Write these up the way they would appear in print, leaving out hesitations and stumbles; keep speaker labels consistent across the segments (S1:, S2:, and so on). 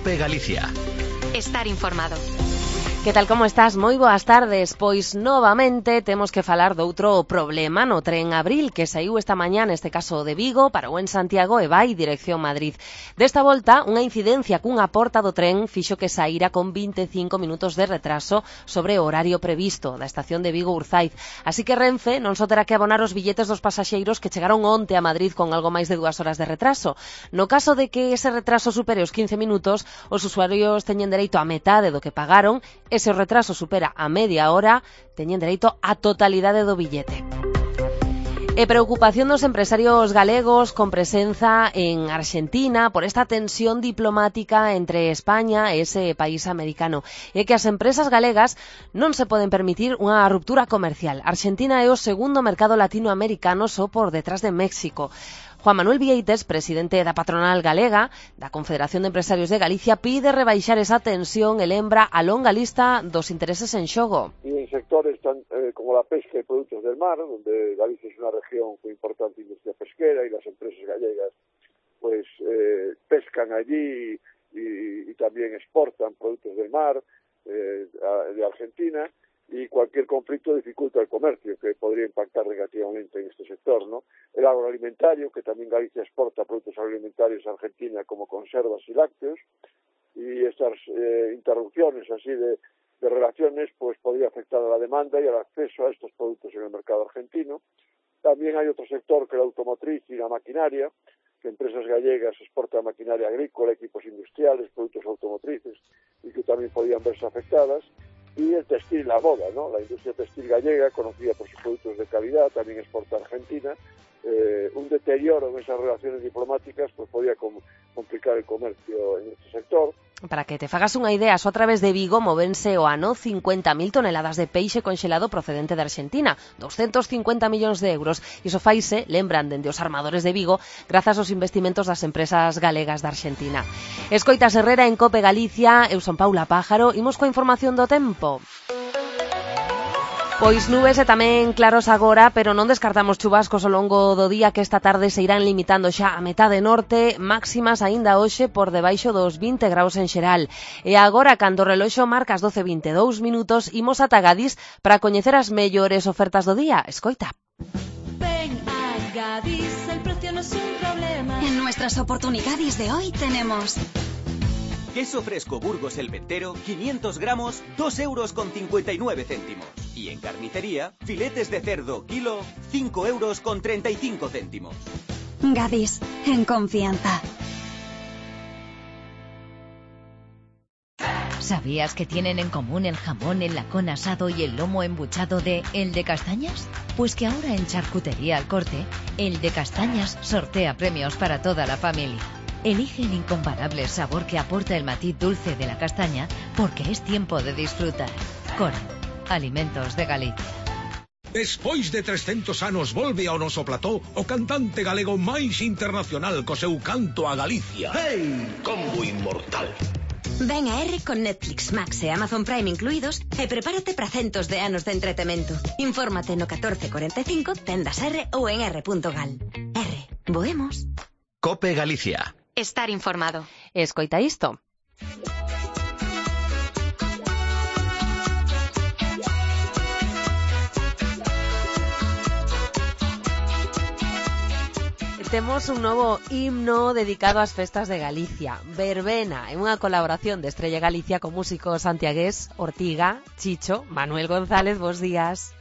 S1: COPE Galicia.
S2: Estar informado.
S3: Que tal, como estás? Moi boas tardes. Pois novamente temos que falar doutro problema no tren Abril que saiu esta mañá, neste caso de Vigo, parou en Santiago e vai dirección Madrid. Desta volta, unha incidencia cunha porta do tren fixo que saíra con 25 minutos de retraso sobre o horario previsto da estación de Vigo-Urzaiz. Así que Renfe non só terá que abonar os billetes dos pasaxeiros que chegaron onte a Madrid con algo máis de 2 horas de retraso. No caso de que ese retraso supere os 15 minutos, os usuarios teñen dereito a metade do que pagaron. E se o retraso supera a media hora, teñen dereito á totalidade do billete. E preocupación dos empresarios galegos con presenza en Argentina por esta tensión diplomática entre España e ese país americano. E que as empresas galegas non se poden permitir unha ruptura comercial. Argentina é o segundo mercado latinoamericano só por detrás de México. Juan Manuel Vieites, presidente da patronal galega da Confederación de Empresarios de Galicia, pide rebaixar esa tensión e lembra a longa lista dos intereses en xogo.
S4: Y en sectores como la pesca y productos del mar, donde Galicia es una región con importante industria pesquera y las empresas gallegas pues pescan allí y también exportan productos del mar de Argentina, y cualquier conflicto dificulta el comercio, que podría impactar negativamente en este sector, ¿no? El agroalimentario, que también Galicia exporta productos agroalimentarios a Argentina como conservas y lácteos, y estas interrupciones así de relaciones pues podría afectar a la demanda y al acceso a estos productos en el mercado argentino. También hay otro sector que es la automotriz y la maquinaria, que empresas gallegas exportan maquinaria agrícola, equipos industriales, productos automotrices, y que también podrían verse afectadas. Y el textil y la moda, ¿no? La industria textil gallega, conocida por sus productos de calidad, también exporta a Argentina. Un deterioro en esas relaciones diplomáticas pues podría complicar el comercio en este sector.
S3: Para que te fagas unha idea, só a través de Vigo movense o ano 50.000 toneladas de peixe conxelado procedente de Argentina, 250 millóns de euros. Iso faise, lembran dende os armadores de Vigo, grazas aos investimentos das empresas galegas da Argentina. Escoitas Herrera en COPE Galicia, eu son Paula Pájaro, imos coa información do tempo. Pois nubes e tamén claros agora, pero non descartamos chubascos ao longo do día que esta tarde se irán limitando xa a metade norte, máximas aínda hoxe por debaixo dos 20 graus en xeral. E agora, cando o reloxo marca as 12:22 minutos, imos ata Gadis para coñecer as mellores ofertas do día. Escoita.
S5: Ven a Gadis, el precio no es un problema.
S2: En nuestras oportunidades de hoy tenemos
S6: queso fresco Burgos el Ventero, 500 gramos, 2,59 €. Y en carnicería, filetes de cerdo kilo, 5,35 €.
S2: Gadis, en confianza.
S7: ¿Sabías que tienen en común el jamón, el lacón asado y el lomo embuchado de El de Castañas? Pues que ahora en Charcutería Al Corte, El de Castañas sortea premios para toda la familia. Elige el incomparable sabor que aporta el matiz dulce de la castaña porque es tiempo de disfrutar. Cora, Alimentos de Galicia.
S8: Despois de 300 anos volve ao noso plató o cantante galego máis internacional co seu canto a Galicia.
S9: ¡Hey! Combo inmortal.
S5: Ven a R con Netflix, Max e Amazon Prime incluídos e prepárate para centos de anos de entretemento. Infórmate no 1445, tendas R ou en r.gal. R. Boemos.
S1: COPE Galicia.
S2: Estar informado.
S3: Escoita isto. Temos un novo himno dedicado ás festas de Galicia. Verbena, é unha colaboración de Estrella Galicia con músicos santiagués, Ortiga, Chicho, Manuel González, bos días.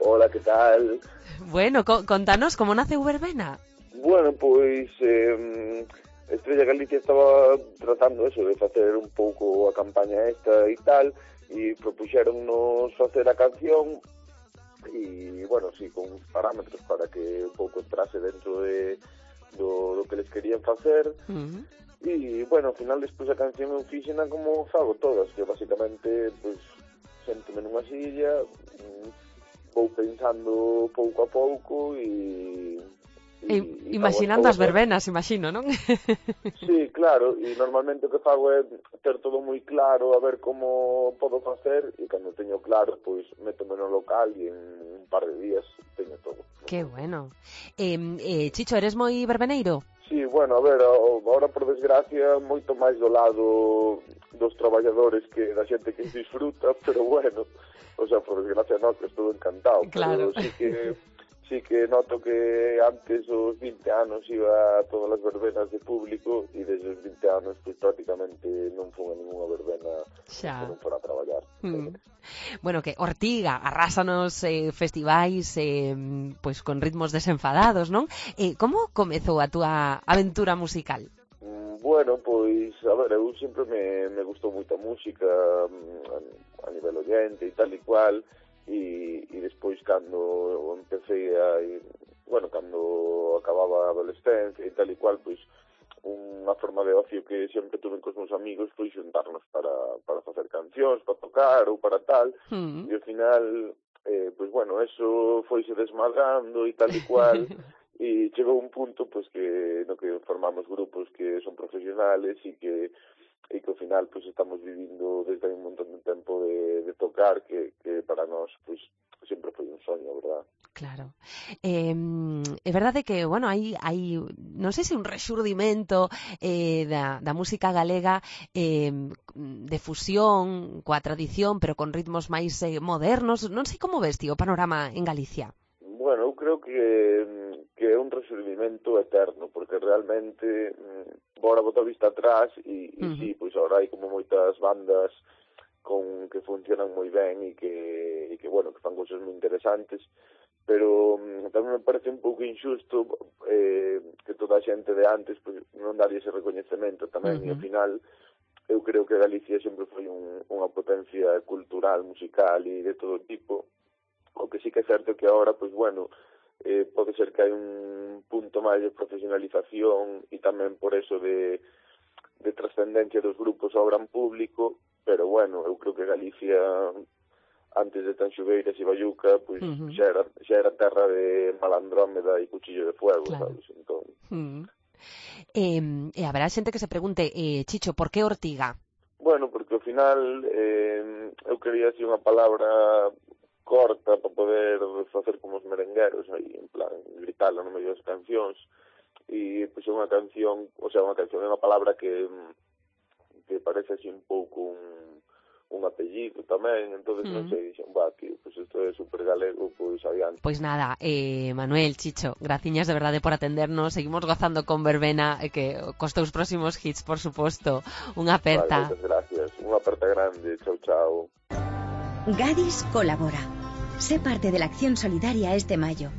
S4: Hola, que tal?
S3: Bueno, contanos como nace Verbena.
S4: Bueno, pois Estrella Galicia estaba tratando eso, de facer un pouco a campaña esta e tal, e propuxéronnos facer a canción e, bueno, sí, con parámetros para que un pouco entrase dentro do que les querían facer. E, bueno, ao final, despois a canción eu fixena como fago todas, que basicamente, pues, séntome nunha silla, vou pensando pouco a pouco e
S3: imaginando as verbenas, imagino, non?
S4: Sí, claro, e normalmente o que fago é ter todo moi claro, a ver como podo facer, e cando teño claro, pois métome no local e en un par de días teño todo.
S3: Que bueno. Chicho, eres moi verbeneiro?
S4: Sí, bueno, a ver, ahora por desgracia moito máis do lado dos traballadores que da xente que disfruta, pero bueno, o sea, por desgracia no, que estou encantado,
S3: claro.
S4: Pero sí que noto que antes os 20 anos iba a todas as verbenas de público e desde os 20 anos pues prácticamente non fun a ninguna verbena que non fora a traballar.
S3: Bueno, que Ortiga arrásanos festivais pois con ritmos desenfadados, non? Como comezou a túa aventura musical?
S4: Bueno, pois, a ver, eu sempre me gustou moita música a nivel oyente e tal e cual, e despois cando empecé cando acababa a adolescencia e tal e cual, pois unha forma de ocio que sempre tuve cos meus amigos foi xuntarnos para facer cancións, para tocar ou para tal, e ao final, pois bueno, eso foise desmadrando e tal e cual, e chegou un punto pois que no que formamos grupos que son profesionales e que ao final pois estamos vivindo desde hai un montón de tempo de tocar que para nós pois sempre foi un soño, verdad?
S3: Claro. É verdade que, bueno, hai non sei se un rexurdimento da música galega de fusión coa tradición, pero con ritmos máis modernos. Non sei como ves, o panorama en Galicia.
S4: Bueno, eu creo que é un rexurdimento eterno, porque realmente bora botar vista atrás e sí, pois agora hai como moitas bandas que funcionan moi ben e que bueno, que fan cousas moi interesantes, pero tamén me parece un pouco injusto que toda a xente de antes pois non daría ese recoñecemento tamén, e ao final eu creo que Galicia sempre foi unha potencia cultural, musical e de todo tipo. O que sí que é certo que agora, pois bueno, pode ser que hai un punto máis de profesionalización e tamén por eso de trascendencia dos grupos ao gran público, pero bueno, eu creo que Galicia antes de Tanxugueiras e Bayuca, pois xa era terra de Malandrómeda e Cuchillo de Fuego, claro. Sabes? Entón...
S3: E haberá xente que se pregunte, Chicho, por que Ortiga?
S4: Bueno, porque ao final eu quería decir unha palabra corta para poder facer como os merengueros aí, en plan, gritarla no medio das cancións, e pois é unha canción, é unha palabra que parece así un pouco un apellido tamén, entonces non sei, dixen, tío, pois isto é super galego, pois adiante.
S3: Pois nada, Manuel, Chicho, graciñas de verdade por atendernos, seguimos gozando con verbena, que cos teus próximos hits, por suposto. Unha aperta.
S4: Vale, moitas gracias, unha aperta grande, chao, chao.
S5: Gadis colabora. Sé parte de la acción solidaria este mayo.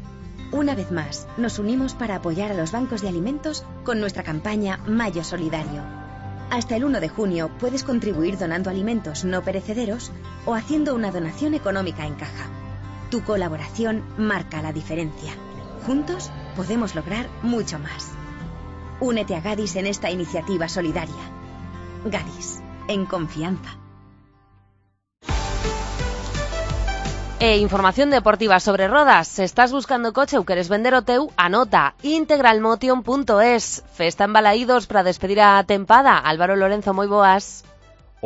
S5: Una vez más, nos unimos para apoyar a los bancos de alimentos con nuestra campaña Mayo Solidario. Hasta el 1 de junio puedes contribuir donando alimentos no perecederos o haciendo una donación económica en caja. Tu colaboración marca la diferencia. Juntos podemos lograr mucho más. Únete a Gadis en esta iniciativa solidaria. Gadis, en confianza.
S3: Información deportiva sobre rodas. Se estás buscando coche ou queres vender o teu, anota integralmotion.es. Festa en Balaídos para despedir a tempada. Álvaro Lorenzo, moi boas.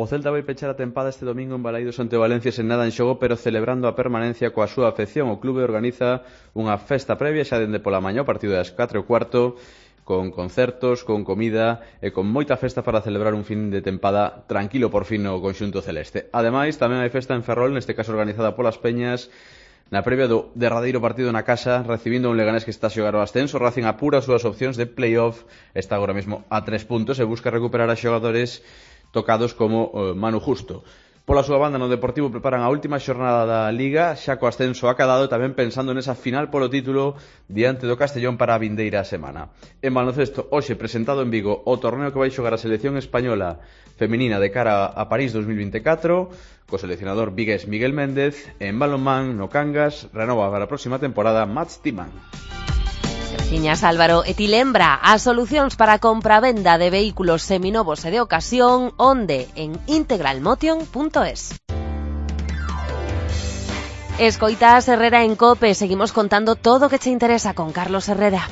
S1: O Celta vai pechar a tempada este domingo en Balaídos ante o Valencia sen nada en xogo, pero celebrando a permanencia coa súa afección. O clube organiza unha festa previa xa dende pola mañá, a partido das 4:15, con concertos, con comida e con moita festa para celebrar un fin de tempada tranquilo por fin no conxunto celeste. Ademais, tamén hai festa en Ferrol, neste caso organizada polas Peñas, na previa do derradeiro partido na casa, recibindo un Leganés que está a xogar o ascenso. Racing apura as súas opcións de playoff, está agora mesmo a 3 puntos e busca recuperar a xogadores tocados como Manu Justo. Pola súa banda, no Deportivo preparan a última xornada da Liga, xa co ascenso acadado, tamén pensando nesa final polo título diante do Castellón para a vindeira semana. En baloncesto, hoxe presentado en Vigo o torneo que vai xogar a selección española feminina de cara a París 2024, co seleccionador vigués Miguel Méndez. En balonmán, no Cangas, renova para a próxima temporada Mats Timan.
S3: Graciñas, Álvaro. E ti lembra as solucións para a compra-venda de vehículos seminovos e de ocasión, onde? En integralmotion.es. Escoitas Herrera en COPE. Seguimos contando todo o que che interesa con Carlos Herrera.